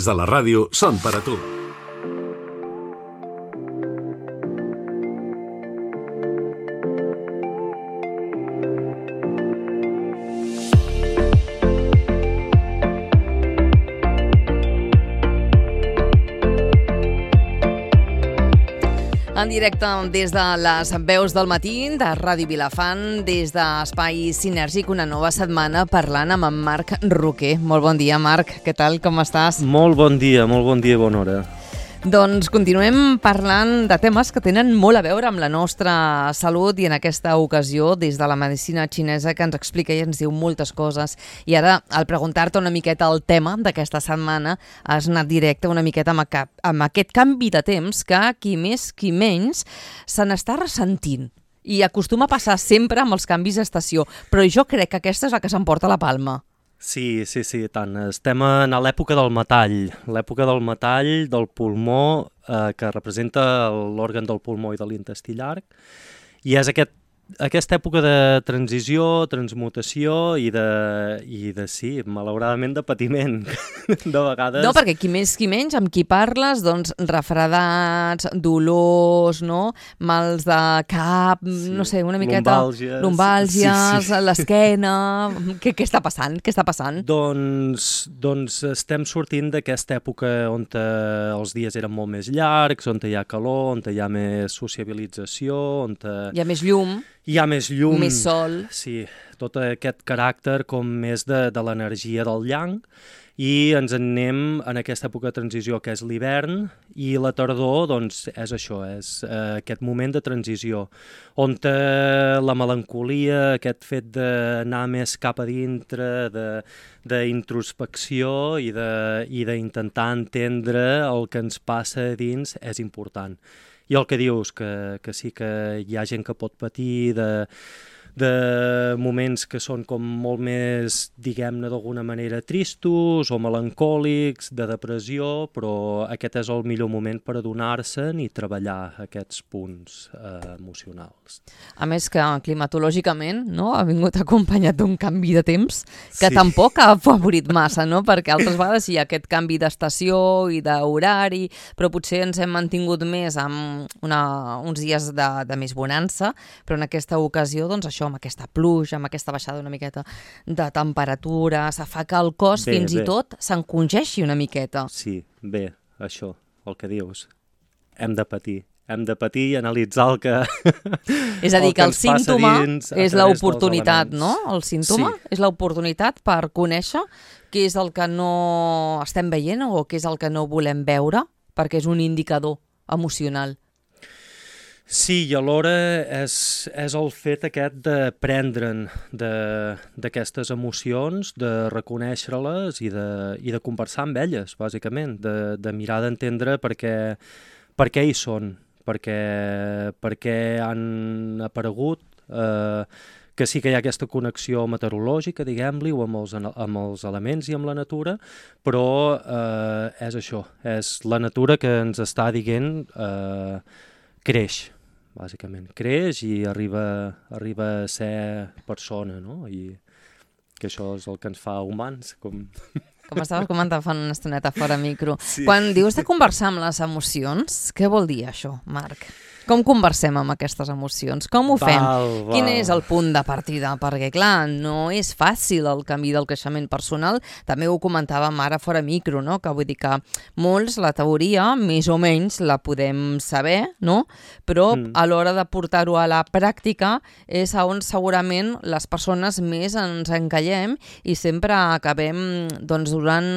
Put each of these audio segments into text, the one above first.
De la ràdio són per a tu. En directe des de les veus del matí de Ràdio Vilafant, des d'Espai Sinèrgic, una nova setmana parlant amb en Marc Roquer. Molt bon dia, Marc. Què tal? Com estàs? Molt bon dia i bona hora. Doncs continuem parlant de temes que tenen molt a veure amb la nostra salut i en aquesta ocasió des de la medicina xinesa que ens explica i ens diu moltes coses. I ara, al preguntar-te una miqueta el tema d'aquesta setmana, has anat directe una miqueta amb aquest canvi de temps que qui més qui menys se n'està ressentint. I acostuma a passar sempre amb els canvis d'estació, però jo crec que aquesta és la que s'emporta la palma. Sí, tant. Estem a l'època del metall, del pulmó, que representa l'òrgan del pulmó i de l'intestí llarg, i és aquesta època de transició, transmutació i sí, malauradament de patiment, de vegades. No, perquè qui més qui menys, amb qui parles, doncs refredats, dolors, no? Mals de cap, sí. No sé, una miqueta... Lumbàlgies, sí. L'esquena... Què està passant? Doncs estem sortint d'aquesta època on els dies eren molt més llargs, on hi ha calor, on hi ha més sociabilització, on hi ha més llum. Hi ha més llum. Més sol. Sí, tot aquest caràcter com més de l'energia del yang, i ens en anem en aquesta època de transició que és l'hivern, i la tardor doncs és això, és aquest moment de transició, on la melancolia, aquest fet d'anar més cap a dintre, d'introspecció i d'intentar entendre el que ens passa a dins és important. I el que dius, que sí que hi ha gent que pot patir de moments que són com molt més, diguem-ne, d'alguna manera tristos o melancòlics, de depressió, però aquest és el millor moment per adonar-se'n i treballar aquests punts emocionals. A més que climatològicament, no, ha vingut acompanyat d'un canvi de temps que tampoc ha afavorit massa, no? Perquè altres vegades hi ha aquest canvi d'estació i d'horari, però potser ens hem mantingut més amb uns dies de més bonança, però en aquesta ocasió, doncs això, amb aquesta pluja, amb aquesta baixada una miqueta de temperatura, se fa que el cos fins i tot s'encongeixi una miqueta. Sí, bé, això, el que dius. Hem de patir i analitzar el que és a dir, que el símptoma és l'oportunitat, no? El símptoma és l'oportunitat per conèixer què és el que no estem veient o què és el que no volem veure, perquè és un indicador emocional. Sí, i alhora és el fet aquest de prendre'n d'aquestes emocions, de reconèixer-les i de conversar amb elles, bàsicament, de mirar d'entendre per què hi són, per què han aparegut, que sí que hi ha aquesta connexió meteorològica, diguem-li, o amb els elements i amb la natura, però és això, és la natura que ens està dient creix. Bàsicament, creix i arriba a ser persona, no? I que això és el que ens fa humans, com estaves comentant fa una estoneta fora micro. Sí. Quan dius de conversar amb les emocions, què vol dir això, Marc? Com conversem amb aquestes emocions? Com ho fem? Quin és el punt de partida? Perquè, clar, no és fàcil el camí del creixement personal. També ho comentàvem ara fora micro, no? Que vull dir que molts, la teoria, més o menys, la podem saber, no? Però a l'hora de portar-ho a la pràctica és on segurament les persones més ens encallem i sempre acabem doncs, donant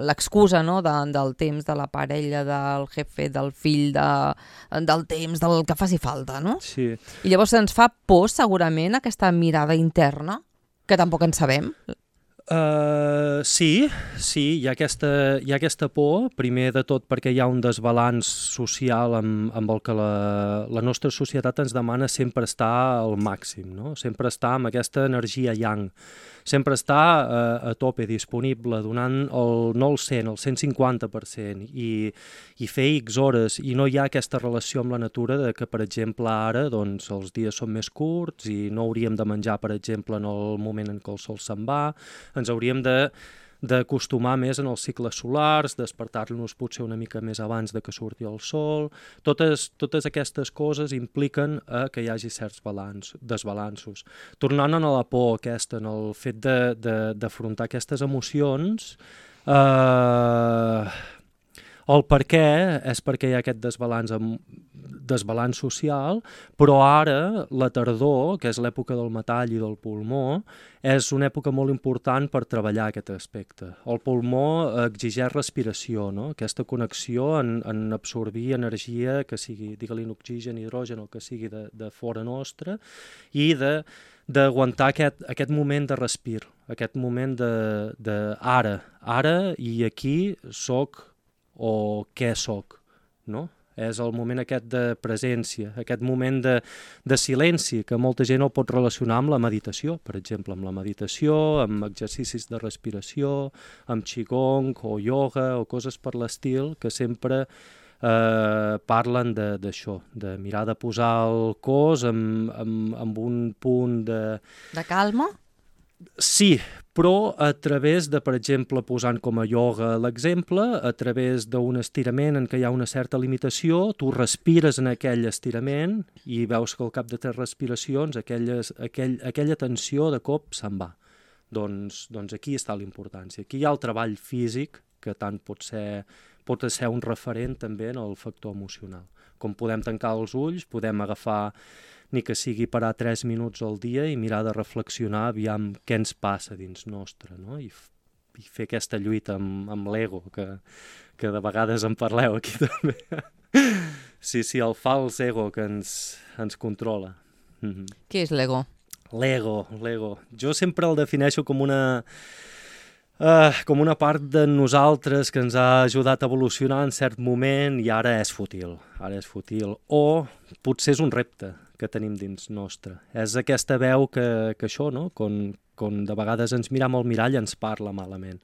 l'excusa, no? Del temps, de la parella, del jefe, del fill, del temps, del que faci falta, no? Sí. I llavors ens fa por, segurament, aquesta mirada interna, que tampoc en sabem. Sí, hi ha aquesta por, primer de tot perquè hi ha un desbalanç social amb el que la nostra societat ens demana sempre estar al màxim, no? Sempre estar amb aquesta energia yang, sempre estar a tope, disponible, donant no el 100, el 150%, i fer X hores, i no hi ha aquesta relació amb la natura de que, per exemple, ara doncs, els dies són més curts i no hauríem de menjar, per exemple, en el moment en què el sol se'n va, ens hauríem de d'acostumar més en els cicles solars, despertar-nos potser una mica més abans de que surti el sol. Totes aquestes coses impliquen que hi hagi certs desbalanços. Tornant a la por aquesta, en el fet d'afrontar aquestes emocions, el per què és perquè hi ha aquest desbalanç social, però ara la tardor, que és l'època del metall i del pulmó, és una època molt important per treballar aquest aspecte. El pulmó exigeix respiració, no? Aquesta connexió en absorbir energia, que sigui, digue-li, oxigen, hidrogen, o que sigui de fora nostra, i d'aguantar aquest moment de respir, aquest moment de ara i aquí soc o què soc, no? És el moment aquest de presència, aquest moment de silenci, que molta gent el pot relacionar amb la meditació, per exemple, amb la meditació, amb exercicis de respiració, amb qigong o ioga o coses per l'estil, que sempre parlen d'això, de mirar de posar el cos amb un punt de... De calma? Sí, però a través de, per exemple, posant com a ioga l'exemple, a través d'un estirament en què hi ha una certa limitació, tu respires en aquell estirament i veus que al cap de 3 respiracions aquella tensió de cop se'n va. Doncs aquí està la importància. Aquí hi ha el treball físic, que tant pot ser un referent també en el factor emocional. Com podem tancar els ulls, podem agafar ni que sigui parar 3 minuts al dia i mirar de reflexionar aviam què ens passa dins nostre, no? I fer aquesta lluita amb l'ego, que de vegades en parleu aquí també. Sí, el fals ego que ens controla. Què és l'ego? L'ego. Jo sempre el defineixo com una part de nosaltres que ens ha ajudat a evolucionar en cert moment i ara és fútil. O potser és un repte que tenim dins nostre. És aquesta veu que això, no? Quan de vegades ens miram al mirall ens parla malament.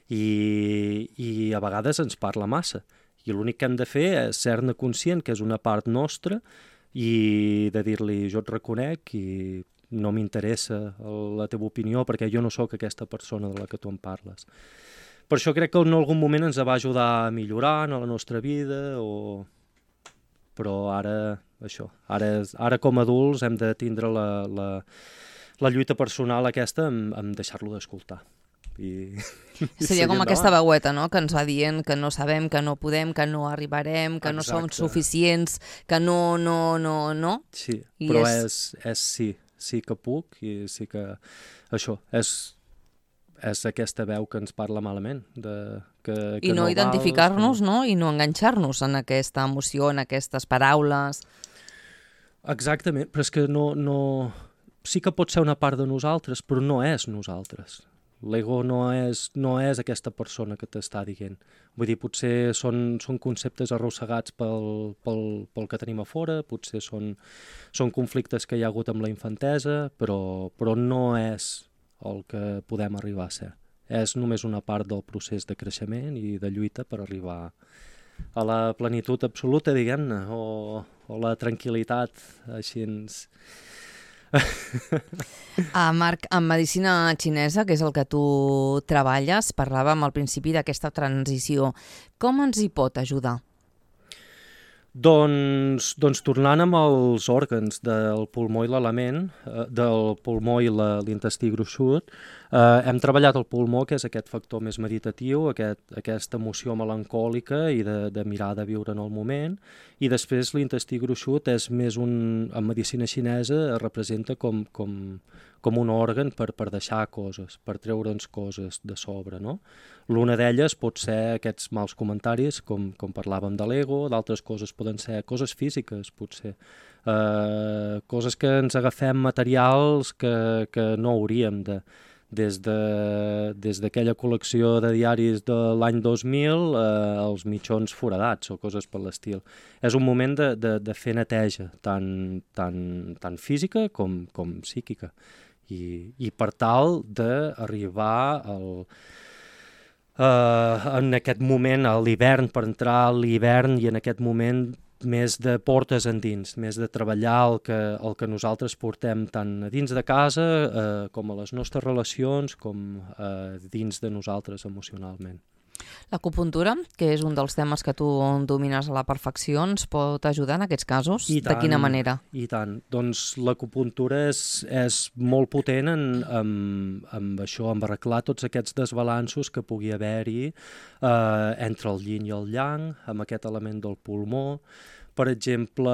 I a vegades ens parla massa. I l'únic que hem de fer és ser-ne conscient que és una part nostra i de dir-li jo et reconec i no m'interessa la teva opinió perquè jo no sóc aquesta persona de la que tu em parles. Per això crec que en algun moment ens va ajudar a millorar en la nostra vida però ara com a adults hem de tindre la lluita personal aquesta en deixar-lo d'escoltar. Seria com aquesta veueta, no?, que ens va dient que no sabem, que no podem, que no arribarem, que no som suficients, que no. Sí, però sí que puc i sí que això és aquesta veu que ens parla malament. I no identificar-nos, no? I no enganxar-nos en aquesta emoció, en aquestes paraules. Exactament, però és que no... Sí que pot ser una part de nosaltres, però no és nosaltres. L'ego no és aquesta persona que t'està dient. Vull dir, potser són conceptes arrossegats pel que tenim a fora, potser són conflictes que hi ha hagut amb la infantesa, però no és el que podem arribar a ser. És només una part del procés de creixement i de lluita per arribar a la plenitud absoluta, diguem-ne, o la tranquil·litat, així ens... Marc, en medicina xinesa, que és el que tu treballes, parlàvem al principi d'aquesta transició. Com ens hi pot ajudar? Doncs tornant amb els òrgans del pulmó i l'element, del pulmó i l'intestí gruixut, hem treballat el pulmó, que és aquest factor més meditatiu, aquesta emoció melancòlica i de mirar de viure en el moment, i després l'intestí gruixut és més en medicina xinesa representa com un òrgan per deixar coses, per treure'ns coses de sobre, no? L'una d'elles pot ser aquests mals comentaris, com parlàvem de l'ego, d'altres coses poden ser coses físiques, potser. Coses que ens agafem materials que no hauríem de... Des d'aquella col·lecció de diaris de l'any 2000 els mitjons foradats o coses per l'estil. És un moment de fer neteja, tant física com psíquica. I per tal d'arribar en aquest moment a l'hivern, per entrar a l'hivern i en aquest moment més de portes endins, més de treballar el que nosaltres portem tant a dins de casa com a les nostres relacions, com dins de nosaltres emocionalment. L'acupuntura, que és un dels temes que tu domines a la perfecció, ens pot ajudar en aquests casos? De quina manera? I tant. Doncs l'acupuntura és molt potent amb això, amb arreglar tots aquests desbalanços que pugui haver-hi entre el yin i el yang, amb aquest element del pulmó. Per exemple,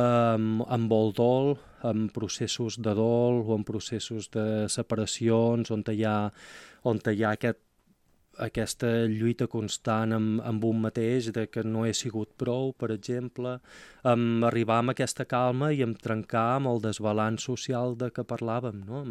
amb el dol, en processos de dol o en processos de separacions on hi ha aquesta lluita constant amb un mateix, de que no he sigut prou, per exemple, arribar amb aquesta calma i trencar amb el desbalanç social de què parlàvem, no?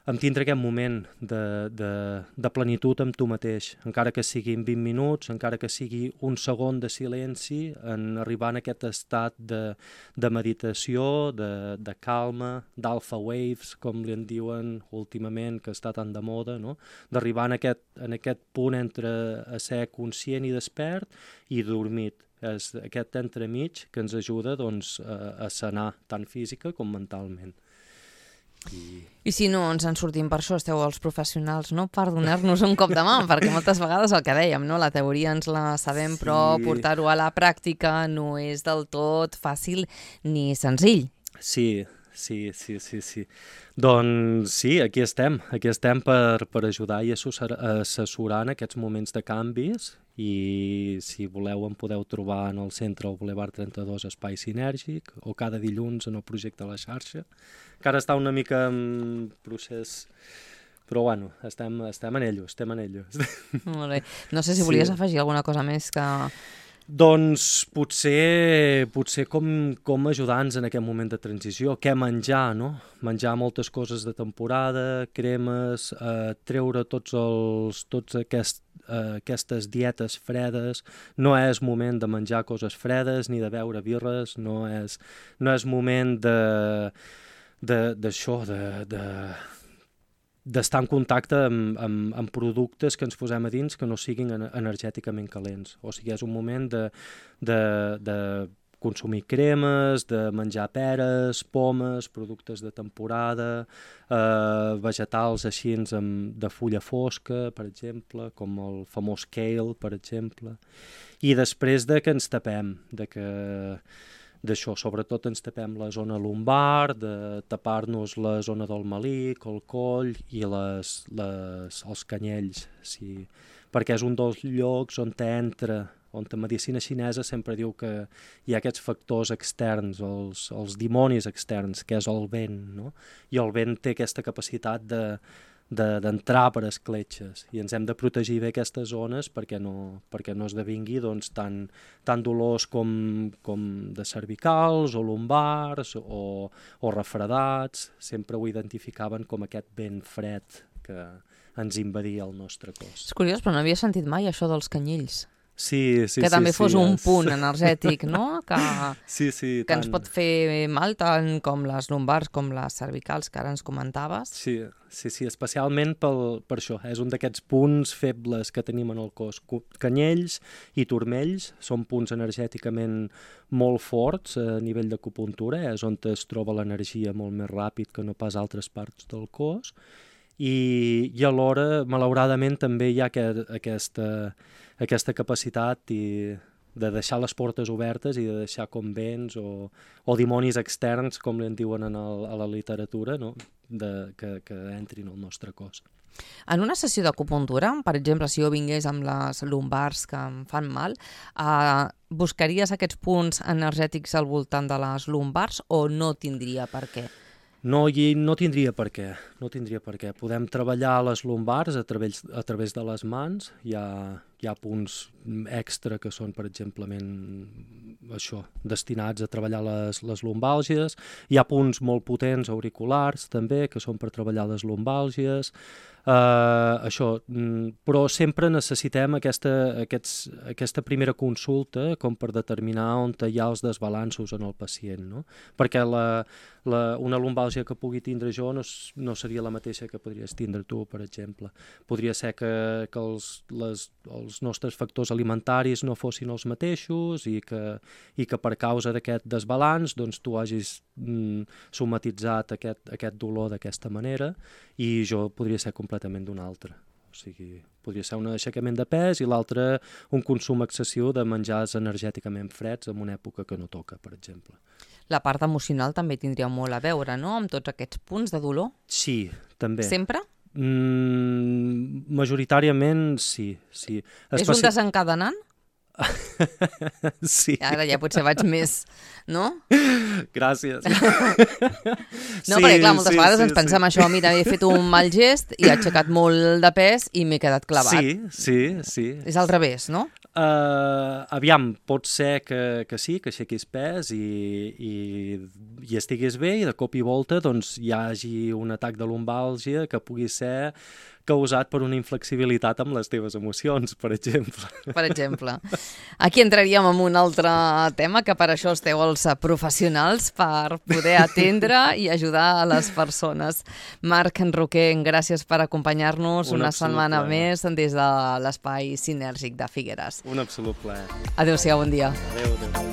Amb tindre aquest moment de plenitud amb tu mateix, encara que siguin 20 minuts, encara que sigui un segon de silenci, en arribar en aquest estat de meditació, de calma, d'alpha waves, com li en diuen últimament, que està tan de moda, no? D'arribar en aquest punt entre a ser conscient i despert i dormit. És aquest entremig que ens ajuda doncs, a sanar tant física com mentalment. I si no ens en sortim, per això esteu els professionals, no? Per donar-nos un cop de mà, perquè moltes vegades el que dèiem, no? La teoria ens la sabem, sí. Però portar-ho a la pràctica no és del tot fàcil ni senzill. Sí. Doncs sí, aquí estem per ajudar i assessorar en aquests moments de canvis, i si voleu em podeu trobar en el centre al Boulevard 32 Espai Sinèrgic o cada dilluns en el projecte La Xarxa, que ara està una mica en procés, però bueno, estem en ello. Molt bé. No sé si volies afegir alguna cosa més que... Doncs potser com ajudar-nos en aquest moment de transició, què menjar, no? Menjar moltes coses de temporada, cremes, treure tots aquestes dietes fredes. No és moment de menjar coses fredes ni de beure birres, no és moment d'això, d'estar en contacte amb productes que ens posem a dins que no siguin energèticament calents. O sigui, és un moment de consumir cremes, de menjar peres, pomes, productes de temporada, vegetals així de fulla fosca, per exemple, com el famós kale, per exemple. I després de que ens tapem, d'això, sobretot ens tapem la zona lumbar, de tapar-nos la zona del melic, el coll i els canyells, sí. Perquè és un dels llocs on la medicina xinesa sempre diu que hi ha aquests factors externs, els dimonis externs, que és el vent, no? I el vent té aquesta capacitat d'entrar per escletxes, i ens hem de protegir bé aquestes zones perquè no esdevingui doncs, tant dolors com de cervicals o lumbars o refredats. Sempre ho identificaven com aquest vent fred que ens invadia el nostre cos. És curiós, però no havia sentit mai això dels canyells. Sí, que també fos un punt energètic, no? Que ens pot fer mal, tant com les lumbars com les cervicals, que ara ens comentaves. Sí, especialment per això. És un d'aquests punts febles que tenim en el cos. Canyells i turmells són punts energèticament molt forts a nivell d'acupuntura, és on es troba l'energia molt més ràpid que no pas altres parts del cos. I alhora, malauradament, també hi ha aquesta capacitat de deixar les portes obertes i de deixar com vents o dimonis externs, com li en diuen a la literatura, no? que entrin al nostre cos. En una sessió d'acupuntura, per exemple, si jo vingués amb les lumbars que em fan mal, buscaries aquests punts energètics al voltant de les lumbars o no tindria per què? No tindria per què. Podem treballar les lumbars a través de les mans. Hi ha punts extra que són, per exemple, això, destinats a treballar les lumbàlgies. Hi ha punts molt potents auriculars, també, que són per treballar les lumbàlgies. Això, però sempre necessitem aquesta primera consulta com per determinar on hi ha els desbalanços en el pacient, no? Perquè una lumbàlgia que pugui tindre jo no seria la mateixa que podries tindre tu, per exemple. Podria ser que els nostres factors alimentaris no fossin els mateixos i que per causa d'aquest desbalanç doncs, tu hagis somatitzat aquest dolor d'aquesta manera i jo podria ser completament d'una altra. O sigui, podria ser un aixecament de pes i l'altre un consum excessiu de menjars energèticament freds en una època que no toca, per exemple. La part emocional també tindria molt a veure, no?, amb tots aquests punts de dolor? Sí, també. Sempre? Majoritàriament sí. És un desencadenant? Sí. Ara ja potser vaig més, no? Gràcies. No, perquè clar, moltes vegades ens pensem això, mira, he fet un mal gest i he aixecat molt de pes i m'he quedat clavat. Sí. És al revés, no? Aviam, pot ser que sí, que aixequis pes i estiguis bé i de cop i volta doncs, hi hagi un atac de lumbàlgia que pugui ser causat per una inflexibilitat amb les teves emocions, per exemple. Per exemple. Aquí entraríem en un altre tema, que per això esteu els professionals, per poder atendre i ajudar a les persones. Marc Roquer, gràcies per acompanyar-nos una setmana més des de l'Espai Sinèrgic de Figueres. Un absolut plaer. Adéu-siau, bon dia. Adéu.